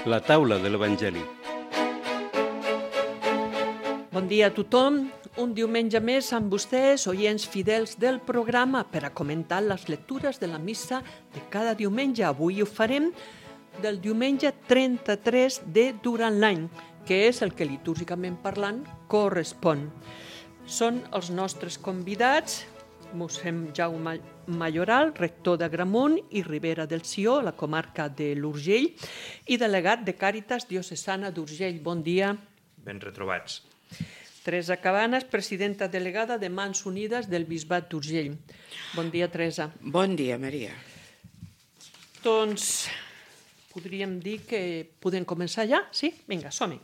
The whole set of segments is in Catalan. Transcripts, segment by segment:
La taula de l'Evangeli. Bon dia a tothom. Un diumenge més amb vostès, oients fidels del programa, per a comentar les lectures de la missa de cada diumenge. Avui ho farem del diumenge 33 de durant l'any, que és el que litúrgicament parlant correspon. Són els nostres convidats, mossèn Jaume Mayoral, rector d'Agramunt i Ribera del Sió, la comarca de l'Urgell, i delegat de Càritas Diocesana d'Urgell. Bon dia. Ben retrobats. Teresa Cabanes, presidenta delegada de Mans Unides del Bisbat d'Urgell. Bon dia, Teresa. Bon dia, Maria. Doncs podríem dir que podem començar ja? Sí? Vinga, som-hi.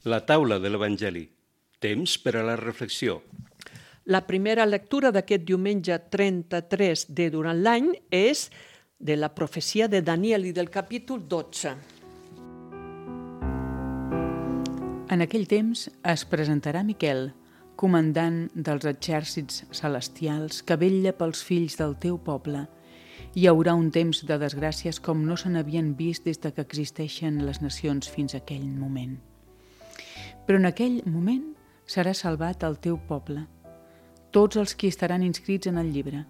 La taula de l'Evangeli. Temps per a la reflexió. La primera lectura d'aquest diumenge 33 de durant l'any és de la profecia de Daniel i del capítol 12. En aquell temps es presentarà Miquel, comandant dels exèrcits celestials que vetlla pels fills del teu poble. Hi haurà un temps de desgràcies com no se n'havien vist des de que existeixen les nacions fins a aquell moment. Però en aquell moment serà salvat el teu poble, tots els qui estaran inscrits en el llibre.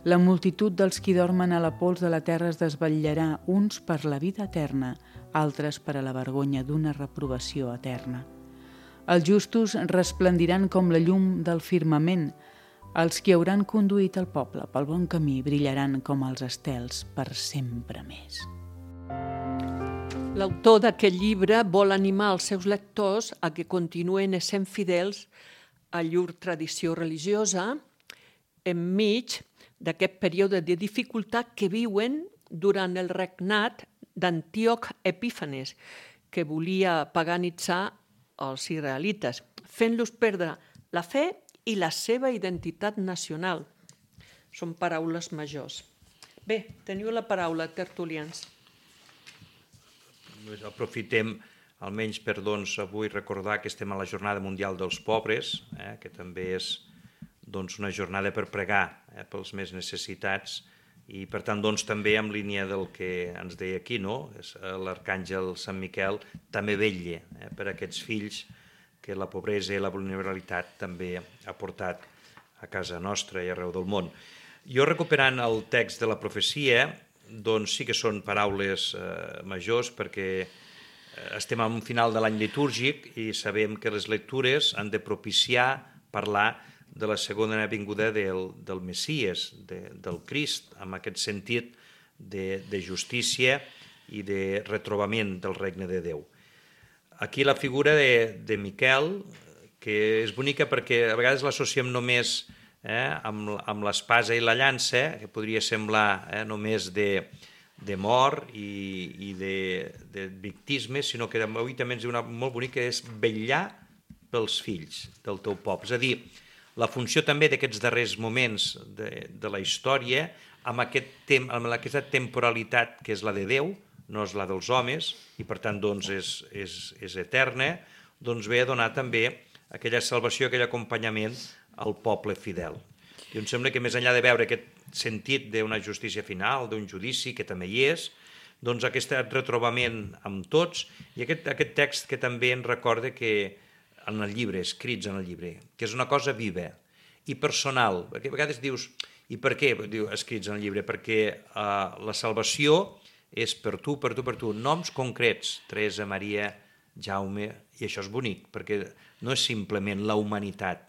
La multitud dels qui dormen a la pols de la terra es desvetllarà, uns per la vida eterna, altres per a la vergonya d'una reprovació eterna. Els justos resplendiran com la llum del firmament. Els qui hauran conduït el poble pel bon camí brillaran com els estels per sempre més. L'autor d'aquest llibre vol animar els seus lectors a que continuen essent fidels a llur tradició religiosa enmig d'aquest període de dificultat que viuen durant el regnat d'Antíoc Epífanes, que volia paganitzar els israelites, fent-los perdre la fe i la seva identitat nacional. Són paraules majors. Bé, teniu la paraula, tertulians. Aprofitem almenys per avui recordar que estem a la Jornada Mundial dels Pobres, que també és una jornada per pregar pels més necessitats i per tant també en línia del que ens deia aquí, l'arcàngel Sant Miquel també vetlla per aquests fills que la pobresa i la vulnerabilitat també ha portat a casa nostra i arreu del món. Jo, recuperant el text de la profecia, sí que són paraules majors perquè estem en un final de l'any litúrgic i sabem que les lectures han de propiciar parlar de la segona vinguda del Messies, del Crist, amb aquest sentit de justícia i de retrobament del regne de Déu. Aquí la figura de Miquel, que és bonica perquè a vegades l'associem només amb l'espasa i la llança, que podria semblar només de mort i de victisme, sinó que avui també ens diu una molt bonica, és vetllar pels fills del teu poble. És a dir, la funció també d'aquests darrers moments de la història, amb aquesta temporalitat que és la de Déu, no és la dels homes, i per tant és eterna, ve a donar també aquella salvació, aquell acompanyament al poble fidel. I em sembla que més enllà de veure aquest sentit d'una justícia final, d'un judici, que també hi és, aquest retrobament amb tots, i aquest text que també ens recorda que en el llibre, escrits en el llibre, que és una cosa viva i personal, perquè a vegades dius, i per què escrits en el llibre? Perquè la salvació és per tu, noms concrets, Teresa, Maria, Jaume, i això és bonic, perquè no és simplement la humanitat,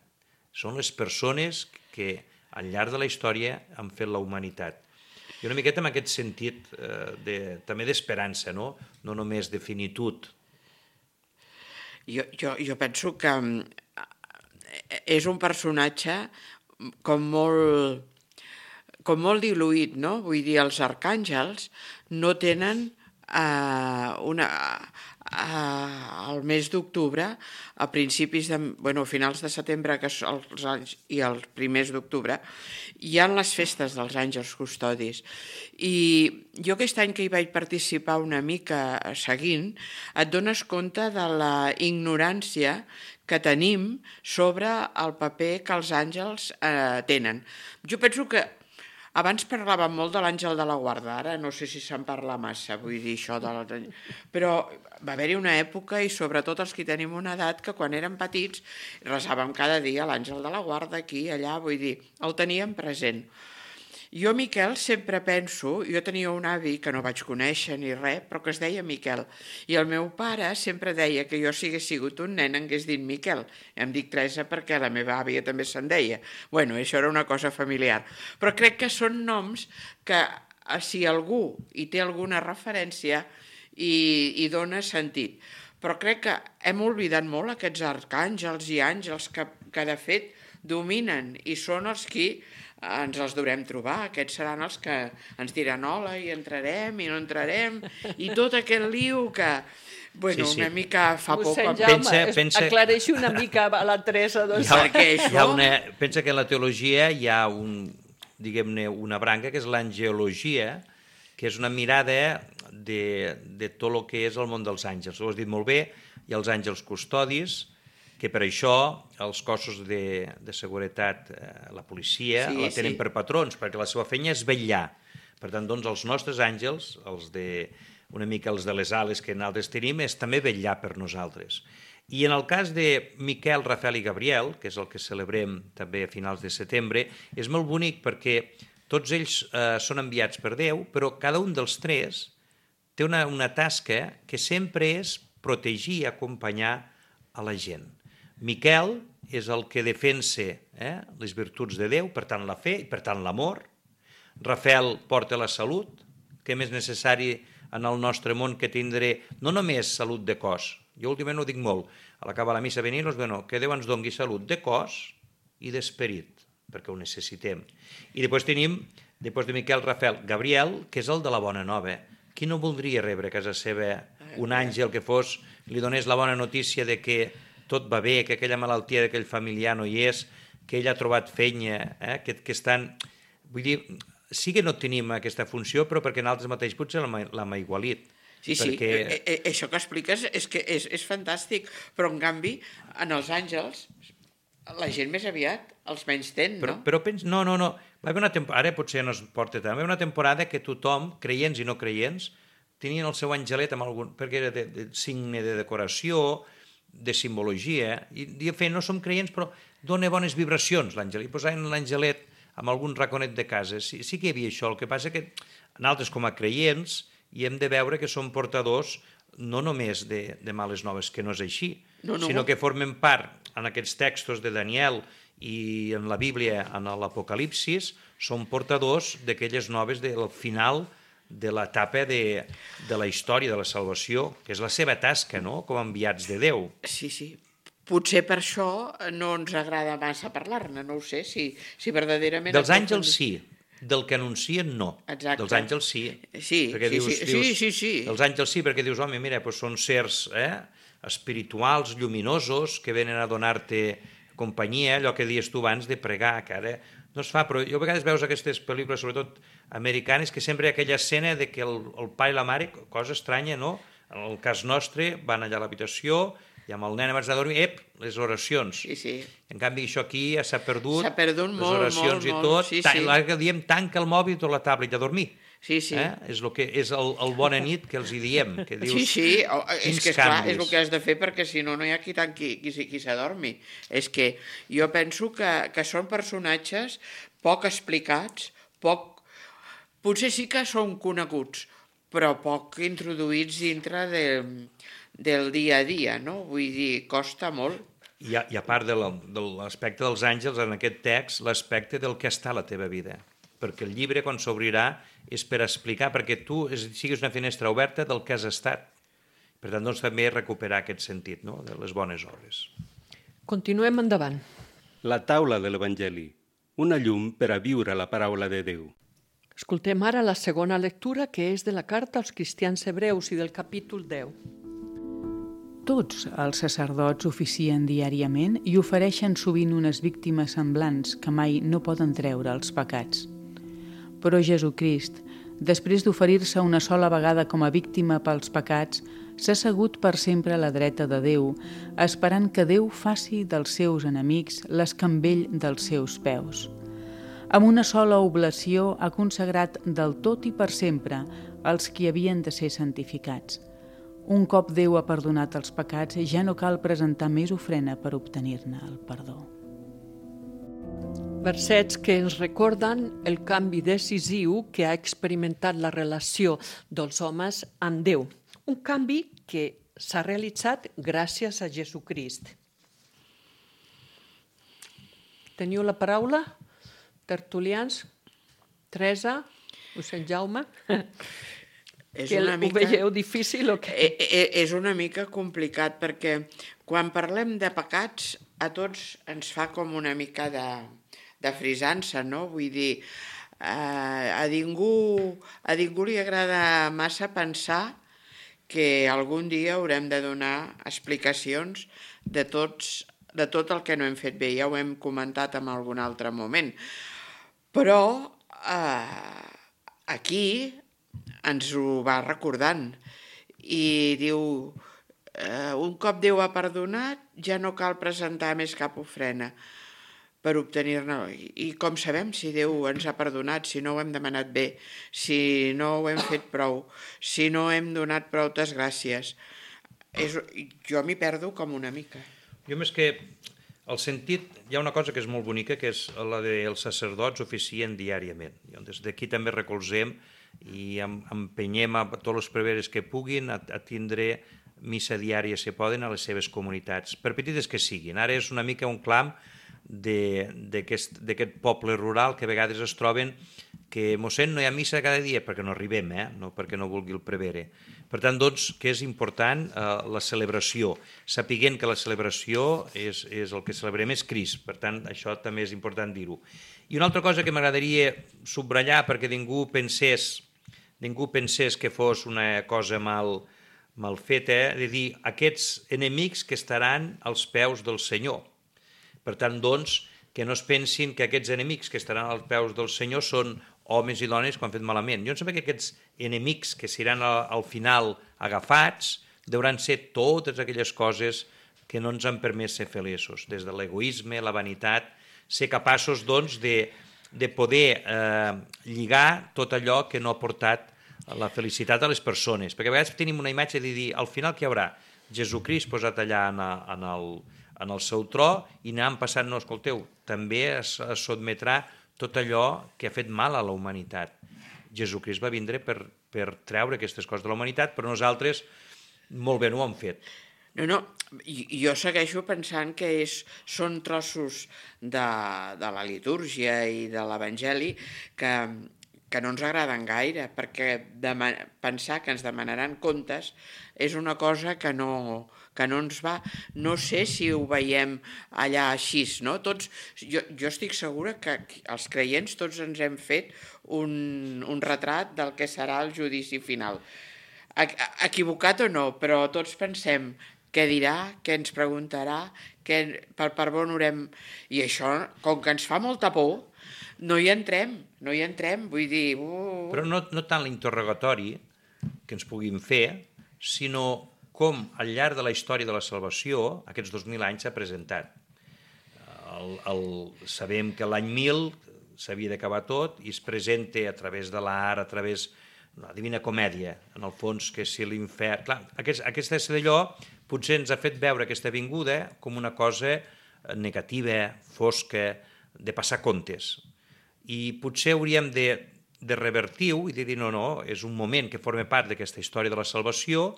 són les persones que al llarg de la història han fet la humanitat. I una miqueta amb aquest sentit també d'esperança, no només de finitud. Jo penso que és un personatge com molt diluït, no? Vull dir, els arcàngels no tenen al mes d'octubre, a finals de setembre, que són els anys, i els primers d'octubre, hi ha les festes dels àngels custodis. I jo aquest any que hi vaig participar una mica seguint, et dones compte de la ignorància que tenim sobre el paper que els àngels tenen. Jo penso que Abans parlàvem molt de l'Àngel de la Guarda, ara no sé si se'n parla massa, vull dir això, però va haver-hi una època, i sobretot els que tenim una edat, que quan érem petits resàvem cada dia l'Àngel de la Guarda, aquí, allà, vull dir, el teníem present. Jo, Miquel, sempre penso, jo tenia un avi que no vaig conèixer ni res, però que es deia Miquel, i el meu pare sempre deia que jo, si hagués sigut un nen, hagués dit Miquel. Em dic Teresa perquè la meva àvia també se'n deia. Bueno, això era una cosa familiar. Però crec que són noms que, si algú hi té alguna referència, hi dona sentit. Però crec que hem oblidat molt aquests arcàngels i àngels que de fet dominen i són els qui ens els durem trobar. Aquests seran els que ens diran hola i entrarem i no entrarem i tot aquest liu que, bueno, sí. Una mica fa por. Mossèn Jaume, aclareixi una mica a la Teresa. Doncs. Pensa que en la teologia hi ha diguem-ne, una branca que és l'angeologia, que és una mirada de tot el que és el món dels àngels. Ho has dit molt bé, hi ha els àngels custodis, que per això els cossos de seguretat, la policia, la tenen per patrons, perquè la seva feina és vetllar. Per tant, doncs, els nostres àngels, una mica els de les ales que nosaltres tenim, és també vetllar per nosaltres. I en el cas de Miquel, Rafael i Gabriel, que és el que celebrem també a finals de setembre, és molt bonic perquè tots ells són enviats per Déu, però cada un dels tres té una tasca que sempre és protegir i acompanyar a la gent. Miquel és el que defensa les virtuts de Déu, per tant la fe i per tant l'amor. Rafael porta la salut, que és més necessari en el nostre món que tindré no només salut de cos, jo últimament ho dic molt, a l'acabar la missa venir, que Déu ens doni salut de cos i d'esperit, perquè ho necessitem. I després tenim, després de Miquel, Rafael, Gabriel, que és el de la bona nova. Qui no voldria rebre a casa seva un àngel que li donés la bona notícia de que tot va bé, que aquella malaltia d'aquell familiar no hi és, que ell ha trobat feina, que estan... Vull dir, sí que no tenim aquesta funció, però perquè nosaltres mateix potser l'hem aigualit. Sí, això que expliques és que és fantàstic, però en canvi, en els àngels, la gent més aviat els menys ten, no? Però no. Va haver una temporada, ara potser no es porta tant, va haver una temporada que tothom, creients i no creients, tenien el seu angelet amb algun... perquè era de signe de decoració, de simbologia, i de fet no som creients però dona bones vibracions l'àngel, i posaven l'angelet amb algun raconet de casa, sí que hi havia això, el que passa que nosaltres com a creients hi hem de veure que som portadors no només de males noves, que no és així, sinó que formen part en aquests textos de Daniel i en la Bíblia, en l'Apocalipsis, són portadors d'aquelles noves del final de l'etapa de la història de la salvació, que és la seva tasca, no?, com a enviats de Déu. Sí. Potser per això no ens agrada massa parlar-ne, no ho sé, si verdaderament... Dels àngels sí, del que anuncien no. Exacte. Dels àngels sí. Sí. Els àngels sí, perquè dius, home, mira, són sers espirituals, lluminosos, que venen a donar-te companyia, allò que dius tu abans de pregar, que ara no es fa, però jo a vegades veus aquestes pel·lícules, sobretot americanes, que sempre hi ha aquella escena de que el pare i la mare, cosa estranya, no? En el cas nostre, van allà a l'habitació i amb el nen abans de dormir, les oracions. Sí. En canvi, això aquí ja s'ha perdut. S'ha perdut molt, les oracions i tot. L'altre diem, tanca el mòbil i tota la tablet a dormir. Sí. És el bona nit que els hi diem. Que dius, sí, és que esclar, és el que has de fer perquè si no hi ha qui s'adormi. És que jo penso que són personatges poc explicats, potser sí que són coneguts, però poc introduïts dintre del dia a dia, no? Vull dir, costa molt. I a part de l'aspecte dels àngels, en aquest text, l'aspecte del que està a la teva vida. Perquè el llibre, quan s'obrirà, és per explicar, perquè tu siguis una finestra oberta del que has estat. Per tant, doncs, també recuperar aquest sentit, no?, de les bones obres. Continuem endavant. La taula de l'Evangeli, una llum per a viure la paraula de Déu. Escoltem ara la segona lectura, que és de la carta als cristians hebreus i del capítol 10. Tots els sacerdots oficien diàriament i ofereixen sovint unes víctimes semblants que mai no poden treure els pecats. Però Jesucrist, després d'oferir-se una sola vegada com a víctima pels pecats, s'ha assegut per sempre a la dreta de Déu, esperant que Déu faci dels seus enemics l'escambell dels seus peus. Amb una sola oblació ha consagrat del tot i per sempre els qui havien de ser santificats. Un cop Déu ha perdonat els pecats, ja no cal presentar més ofrena per obtenir-ne el perdó. Versets que ens recorden el canvi decisiu que ha experimentat la relació dels homes amb Déu. Un canvi que s'ha realitzat gràcies a Jesucrist. Teniu la paraula? Tertulians? Teresa? Mossèn Jaume? Ho veieu difícil o què? És una mica complicat perquè quan parlem de pecats a tots ens fa com una mica de frisança, no? Vull dir, a ningú li agrada massa pensar que algun dia haurem de donar explicacions de tot el que no hem fet bé. Ja ho hem comentat en algun altre moment. Però aquí ens ho va recordant i diu un cop Déu ha perdonat ja no cal presentar més cap ofrena per obtenir-ne. I com sabem si Déu ens ha perdonat, si no ho hem demanat bé, si no ho hem fet prou, si no hem donat prou gràcies? Jo m'hi perdo com una mica. Jo més que el sentit, hi ha una cosa que és molt bonica, que és la dels sacerdots oficien diàriament. Des d'aquí també recolzem i empenyem a tots els preveres que puguin a tindre missa diària, si poden, a les seves comunitats, per petites que siguin. Ara és una mica un clam d'aquest poble rural que a vegades es troben que, mossèn, no hi ha missa cada dia perquè no arribem, no perquè no vulgui el prevere. Per tant, doncs, que és important la celebració, sapiguent que la celebració és el que celebrem és Crist, per tant, això també és important dir-ho. I una altra cosa que m'agradaria subratllar perquè ningú pensés que fos una cosa mal feta, de dir aquests enemics que estaran als peus del Senyor. Per tant, doncs, que no es pensin que aquests enemics que estaran als peus del Senyor són homes i dones que ho han fet malament. Jo em sembla que aquests enemics que seran al final agafats deuran ser totes aquelles coses que no ens han permès ser feliços, des de l'egoisme, la vanitat, ser capaços, doncs, de poder lligar tot allò que no ha portat la felicitat a les persones. Perquè a vegades tenim una imatge de dir, al final què hi haurà? Jesucrist posat allà en el seu tro i anant passant, no, escolteu, també es sotmetrà tot allò que ha fet mal a la humanitat. Jesucrist va vindre per treure aquestes coses de la humanitat, però nosaltres molt bé no ho hem fet. No, jo segueixo pensant que són trossos de la litúrgia i de l'Evangeli que no ens agraden gaire, perquè pensar que ens demanaran comptes és una cosa que no ens va. No sé si ho veiem allà així, no? Jo estic segura que els creients tots ens hem fet un retrat del que serà el judici final. Equivocat o no, però tots pensem què dirà, què ens preguntarà, per on haurem... I això, com que ens fa molta por, no hi entrem, vull dir... Però no tant l'interrogatori que ens puguin fer, sinó com al llarg de la història de la salvació, aquests 2000 anys s'ha presentat. Sabem que l'any 1000 s'havia d'acabar tot i es presenta a través de l'art, a través de la Divina Comèdia, en el fons, que si l'infern... Clar, aquesta és d'allò, potser ens ha fet veure aquesta vinguda com una cosa negativa, fosca, de passar comptes. I potser hauríem de revertir-ho i de dir no, és un moment que forma part d'aquesta història de la salvació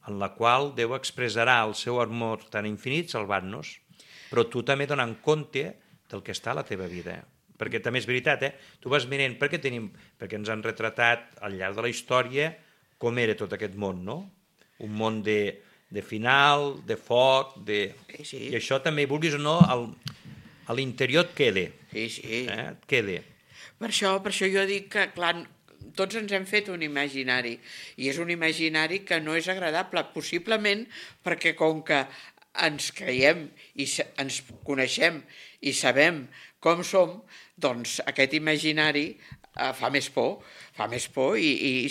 en la qual Déu expressarà el seu amor tan infinit salvant-nos, però tu també donant compte del que està a la teva vida. Perquè també és veritat, tu vas mirant perquè ens han retratat al llarg de la història com era tot aquest món, no? Un món de final, de foc, Sí. I això també, vulguis o no, a l'interior et queda. Sí. Et queda. Per això jo dic que, clar, tots ens hem fet un imaginari, i és un imaginari que no és agradable, possiblement perquè com que ens creiem i ens coneixem i sabem com som, doncs aquest imaginari fa més por i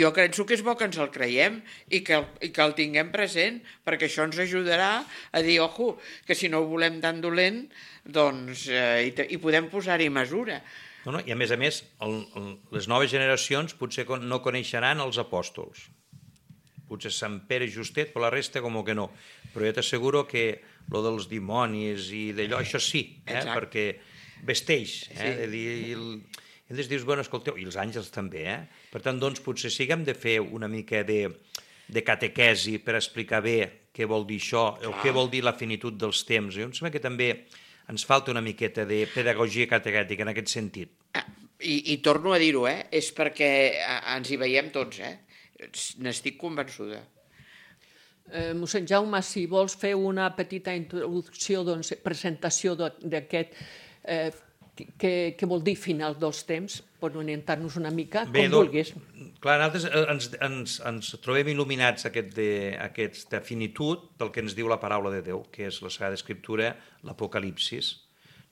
jo penso que és bo que ens el creiem i que el tinguem present, perquè això ens ajudarà a dir, ojo, que si no ho volem tan dolent, doncs hi podem posar-hi mesura. No, i a més, les noves generacions potser no coneixeran els apòstols. Potser Sant Pere Justet, però la resta com que no. Però jo t'asseguro que lo dels dimonis i d'allò, això sí, perquè vesteix. I ells dius, bueno, escolteu, i els àngels també, Per tant, doncs, potser sí que hem de fer una mica de catequesi per explicar bé què vol dir això, o què vol dir la finitud dels temps. Jo em sembla que també ens falta una miqueta de pedagogia catequètica en aquest sentit. I torno a dir-ho, és perquè ens hi veiem tots, n'estic convençuda. Mossèn Jaume, si vols fer una petita introducció, presentació d'aquest, què vol dir final dels temps, per orientar-nos una mica, com vulguis. Clar, nosaltres ens trobem il·luminats aquesta finitud del que ens diu la paraula de Déu, que és la Sagrada Escriptura, l'Apocalipsis.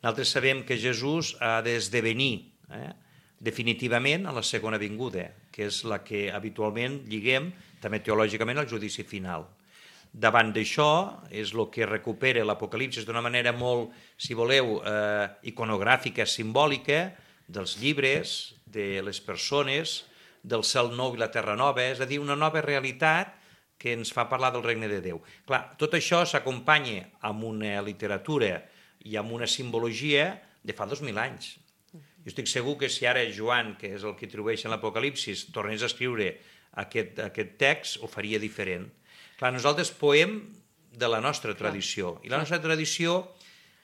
Nosaltres sabem que Jesús ha d'esdevenir definitivament a la segona vinguda, que és la que habitualment lliguem, també teològicament, al judici final. Davant d'això és el que recupera l'Apocalipsis d'una manera molt, si voleu, iconogràfica, simbòlica, dels llibres, de les persones, del cel nou i la terra nova, és a dir, una nova realitat que ens fa parlar del regne de Déu. Clar, tot això s'acompanya amb una literatura i amb una simbologia de fa 2000 anys. Jo estic segur que si ara Joan, que és el que atribueix en l'Apocalipsis, tornés a escriure aquest text, ho faria diferent. Clar, nosaltres poem de la nostra tradició, i la nostra tradició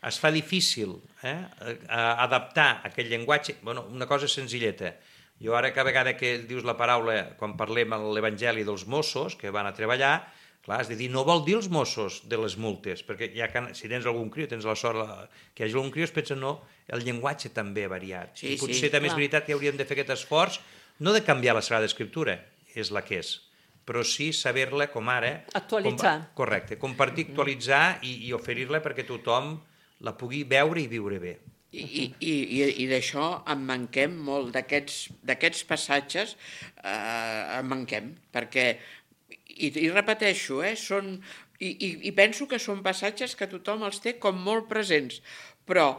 es fa difícil adaptar aquest llenguatge. Bueno, una cosa senzilleta. Jo ara, cada vegada que dius la paraula, quan parlem a l'Evangeli dels Mossos, que van a treballar, clar, has de dir, no vol dir els Mossos de les multes, perquè ja si tens algun criu, tens la sort que hi hagi algun criu, es pensa, no, el llenguatge també ha variat. I potser també és veritat que hauríem de fer aquest esforç, no de canviar la Sagrada Escriptura, és la que és, però sí saber-la com ara... Actualitzar. Correcte, compartir, actualitzar i oferir-la perquè tothom la pugui veure i viure bé. I d'això en manquem molt, d'aquests passatges en manquem, perquè, i repeteixo, i penso que són passatges que tothom els té com molt presents, però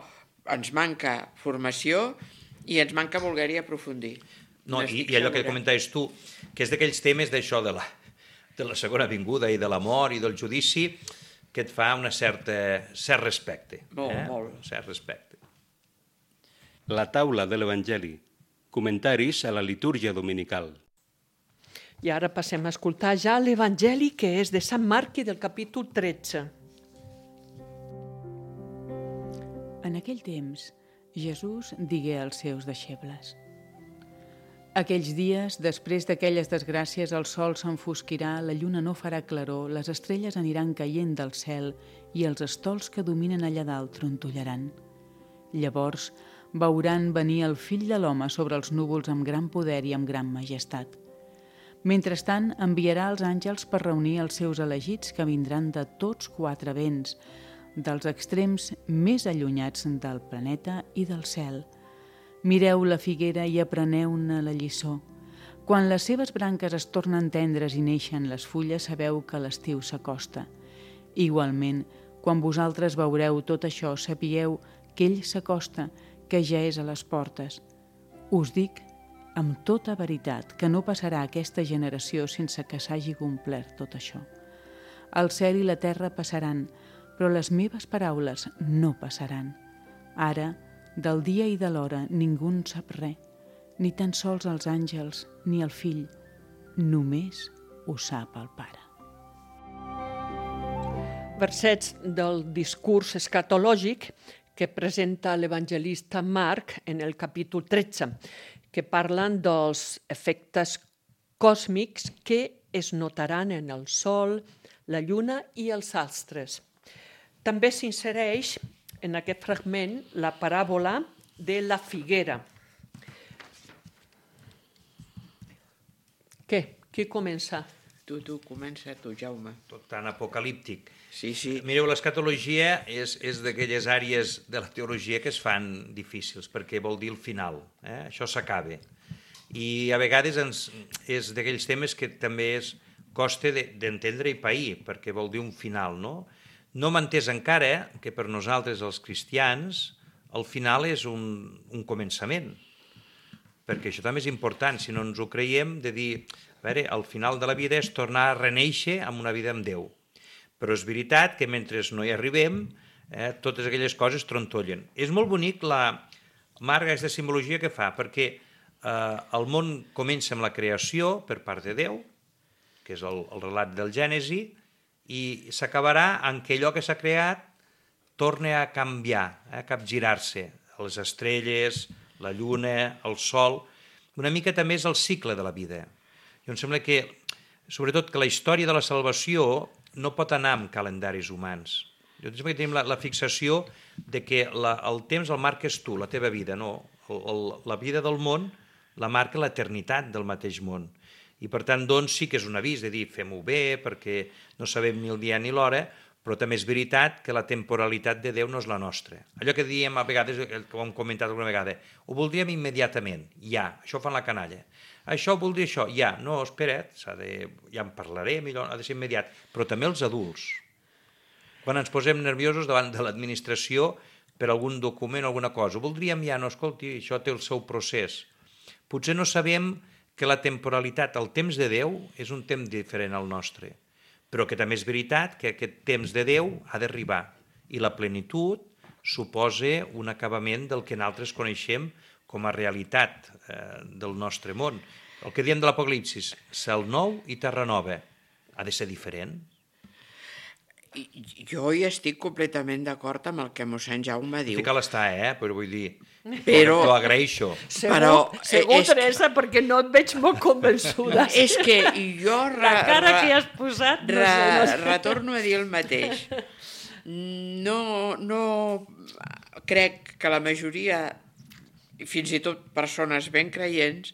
ens manca formació i ens manca voler-hi aprofundir. No, i allò que comentaves tu, que és d'aquells temes d'això de la segona vinguda i de la mort i del judici, que et fa un cert respecte. Molt. Un cert respecte. La taula de l'Evangeli. Comentaris a la litúrgia dominical. I ara passem a escoltar ja l'Evangeli, que és de Sant Marc i del capítol 13. En aquell temps, Jesús digué als seus deixebles: aquells dies, després d'aquelles desgràcies, el sol s'enfosquirà, la lluna no farà claror, les estrelles aniran caient del cel i els estols que dominen allà dalt trontollaran. Llavors veuran venir el Fill de l'Home sobre els núvols amb gran poder i amb gran majestat. Mentrestant, enviarà els àngels per reunir els seus elegits que vindran de tots quatre vents, dels extrems més allunyats del planeta i del cel. Mireu la figuera i apreneu-ne la lliçó. Quan les seves branques es tornen tendres i neixen les fulles, sabeu que l'estiu s'acosta. Igualment, quan vosaltres veureu tot això, sapigueu que ell s'acosta, que ja és a les portes. Us dic amb tota veritat que no passarà aquesta generació sense que s'hagi complert tot això. El cel i la terra passaran, però les meves paraules no passaran. Ara, del dia i de l'hora ningú en sap res, ni tan sols els àngels ni el Fill, només ho sap el Pare. Versets del discurs escatològic que presenta l'evangelista Marc en el capítol 13, que parlen dels efectes còsmics que es notaran en el sol, la lluna i els astres. També s'insereix en aquest fragment la paràbola de la figuera. Què? Qui comença? Tu, comença tu, Jaume. Tot tan apocalíptic. Sí. Mireu, l'escatologia és d'aquelles àrees de la teologia que es fan difícils, perquè vol dir el final. Això s'acaba. I a vegades és d'aquells temes que també costa d'entendre i pair, perquè vol dir un final, no? No m'ha entès encara que per nosaltres, els cristians, al final és un començament, perquè això també és important, si no ens ho creiem, de dir, a veure, al final de la vida és tornar a reneixer amb una vida amb Déu. Però és veritat que mentre no hi arribem, totes aquelles coses trontollen. És molt bonic Marc, aquesta simbologia que fa, perquè el món comença amb la creació per part de Déu, que és el relat del Gènesi, i s'acabarà en què allò que s'ha creat torna a canviar, a capgirar-se. Les estrelles, la lluna, el sol... Una mica també és el cicle de la vida. Jo em sembla que, sobretot, que la història de la salvació no pot anar amb calendaris humans. Jo em sembla que tenim la fixació de que el temps el marques tu, la teva vida, no. La vida del món la marca l'eternitat del mateix món. I per tant, doncs, sí que és un avís de dir fem-ho bé perquè no sabem ni el dia ni l'hora, però també és veritat que la temporalitat de Déu no és la nostra. Allò que diem a vegades, que ho hem comentat alguna vegada, ho voldríem immediatament, ja, això ho fan la canalla. Això voldria això, ja, no, espera't, ja en parlarem, ha de ser immediat. Però també els adults. Quan ens posem nerviosos davant de l'administració per algun document o alguna cosa, ho voldríem ja, no, escolti, això té el seu procés. Potser no sabem que la temporalitat, el temps de Déu, és un temps diferent al nostre, però que també és veritat que aquest temps de Déu ha d'arribar i la plenitud suposa un acabament del que nosaltres coneixem com a realitat del nostre món. El que diem de l'Apocalipsis, cel nou i terra nova, ha de ser diferent. Jo hi estic completament d'acord amb el que mossèn Jaume diu. Sí que l'està, però vull dir... Però... T'ho agraeixo. Segur, Teresa, perquè no et veig molt convençuda. És que jo... La cara que has posat... Retorno a dir el mateix. No crec que la majoria, fins i tot persones ben creients,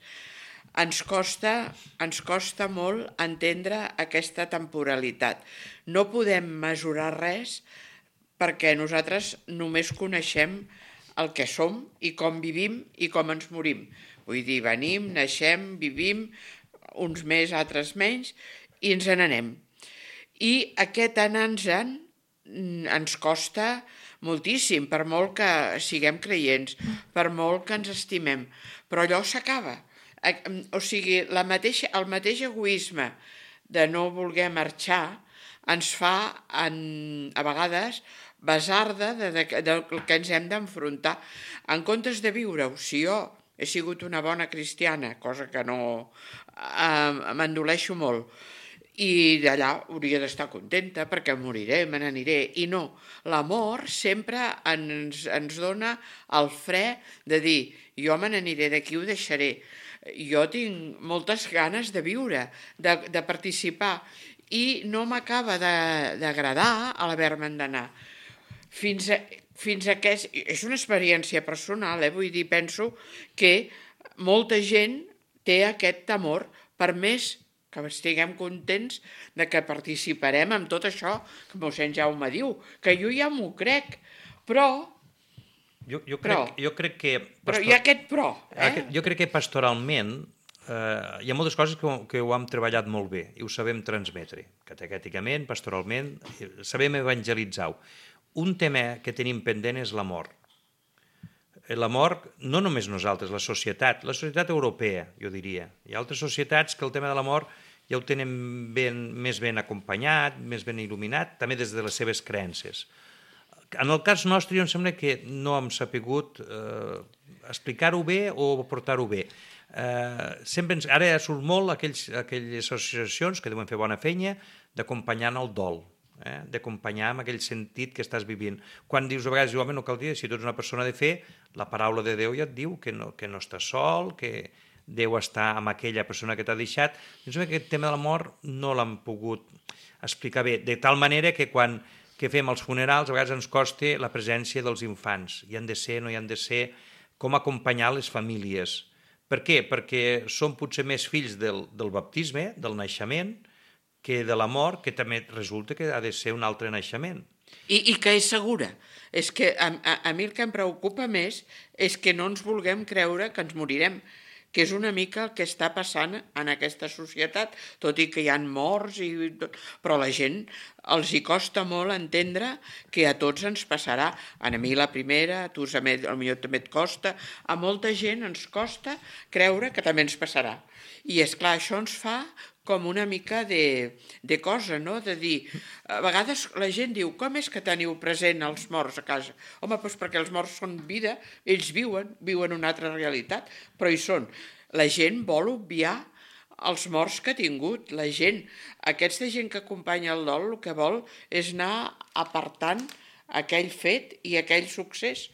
ens costa molt entendre aquesta temporalitat. No podem mesurar res perquè nosaltres només coneixem el que som i com vivim i com ens morim. Vull dir, venim, naixem, vivim, uns més, altres menys, i ens n'anem. I aquest anar-nos-en ens costa moltíssim, per molt que siguem creients, per molt que ens estimem. Però allò s'acaba. O sigui, el mateix egoisme de no voler marxar ens fa, a vegades, basarda del que ens hem d'enfrontar. En comptes de viure-ho, si jo he sigut una bona cristiana, cosa que no m'endoleixo molt, i d'allà hauria d'estar contenta perquè moriré, me n'aniré. I no, l'amor sempre ens dona el fre de dir jo me n'aniré d'aquí, ho deixaré. Jo tinc moltes ganes de viure, de participar, i no m'acaba d'agradar l'haver-me'n d'anar. Fins a que és una experiència personal, vull dir, penso que molta gent té aquest temor, per més que estiguem contents de que participarem en tot això que mossèn Jaume diu, que jo ja m'ho crec, però... Jo crec que... Però hi ha aquest però, Jo crec que pastoralment hi ha moltes coses que ho hem treballat molt bé i ho sabem transmetre, catecèticament, pastoralment, sabem evangelitzar-ho. Un tema que tenim pendent és la mort. La mort, no només nosaltres, la societat europea, jo diria. Hi ha altres societats que el tema de la mort ja ho tenen més ben acompanyat, més ben il·luminat, també des de les seves creences. En el cas nostre, jo em sembla que no hem sapigut explicar-ho bé o portar-ho bé. Ara surt molt aquelles associacions que deuen fer bona feina d'acompanyar en el dol, d'acompanyar en aquell sentit que estàs vivint. Quan dius a vegades, home, no cal dir, si tu ets una persona de fe, la paraula de Déu ja et diu que no estàs sol, que Déu està amb aquella persona que t'ha deixat. Jo sembla que aquest tema de la mort no l'han pogut explicar bé, de tal manera que quan fem els funerals a vegades ens costa la presència dels infants. Hi han de ser, no hi han de ser, com acompanyar les famílies. Per què? Perquè són potser més fills del baptisme, del naixement, que de la mort, que també resulta que ha de ser un altre naixement. I que és segura. És que a mi el que em preocupa més és que no ens vulguem creure que ens morirem, que és una mica el que està passant en aquesta societat, tot i que hi ha morts, però la gent els hi costa molt entendre que a tots ens passarà. A mi la primera, a tu potser també et costa, a molta gent ens costa creure que també ens passarà. I és clar, això ens fa com una mica de cosa, no? De dir, a vegades la gent diu, com és que teniu present els morts a casa? Home, doncs perquè els morts són vida, ells viuen una altra realitat, però hi són. La gent vol obviar els morts que ha tingut. La gent, aquesta gent que acompanya el dol, el que vol és anar apartant aquell fet i aquell succés.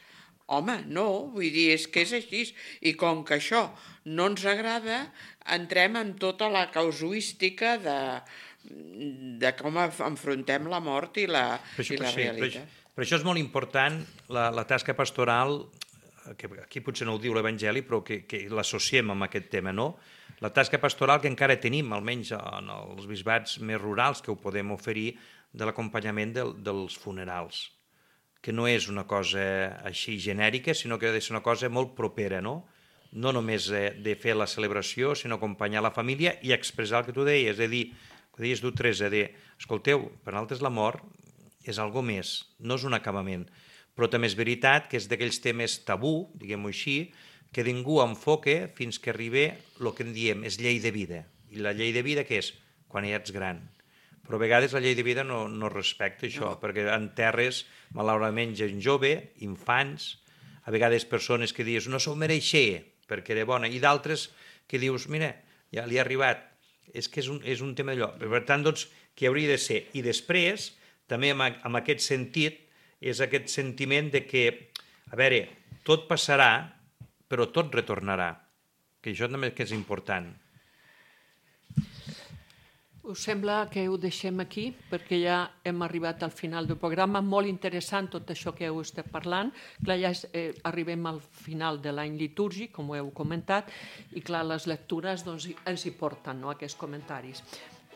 Home, no, vull dir, és que és així. I com que això no ens agrada, entrem en tota la casuística de com enfrontem la mort i la realitat. Per això és molt important la tasca pastoral, que aquí potser no ho diu l'Evangeli, però que l'associem amb aquest tema, no? La tasca pastoral que encara tenim, almenys en els bisbats més rurals, que ho podem oferir, de l'acompanyament dels funerals, que no és una cosa així genèrica, sinó que ha de ser una cosa molt propera, no? No només de fer la celebració, sinó acompanyar la família i expressar el que tu deies, és a dir, que deies tu, Teresa, escolteu, per nosaltres la mort és algo més, no és un acabament, però també és veritat que és d'aquells temes tabú, diguem-ho així, que ningú enfoca fins que arriba el que en diem, és llei de vida. I la llei de vida què és? Quan ja ets gran. Però a vegades la llei de vida no respecta això, perquè enterres, malauradament, gent jove, infants, a vegades persones que dius no s'ho mereixer perquè era bona, i d'altres que dius, mira, ja li ha arribat. És que és un tema d'allò. Per tant, doncs, que hauria de ser. I després, també amb aquest sentit, és aquest sentiment de que, a veure, tot passarà, però tot retornarà. Que això també és important. Us sembla que ho deixem aquí, perquè ja hem arribat al final del programa. Molt interessant tot això que heu estat parlant. Clar, ja arribem al final de l'any litúrgic, com ho heu comentat, i clar, les lectures doncs, ens hi porten, no, aquests comentaris.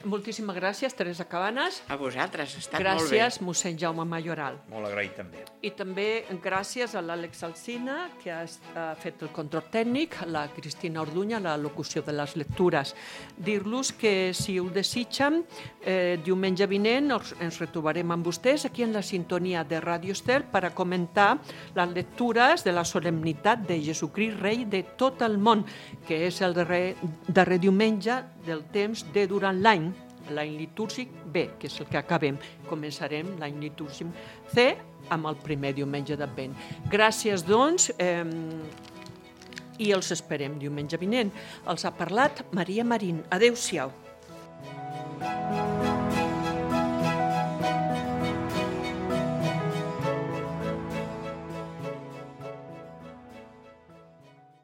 Moltíssimes gràcies, Teresa Cabanes. A vosaltres, ha estat molt bé. Gràcies, mossèn Jaume Mayoral. Molt agraït també. I també gràcies a l'Àlex Alsina, que ha fet el control tècnic, la Cristina Orduña, la locució de les lectures. Dir-los que, si ho desitgen, diumenge vinent ens retrobarem amb vostès aquí en la sintonia de Ràdio Estel per a comentar les lectures de la solemnitat de Jesucrist Rei de tot el món, que és el darrer diumenge del temps de durant l'any litúrgic B, que és el que acabem. Començarem l'any litúrgic C amb el primer diumenge d'Advent. Gràcies, doncs, i els esperem diumenge vinent. Els ha parlat Maria Marín. Adéu-siau.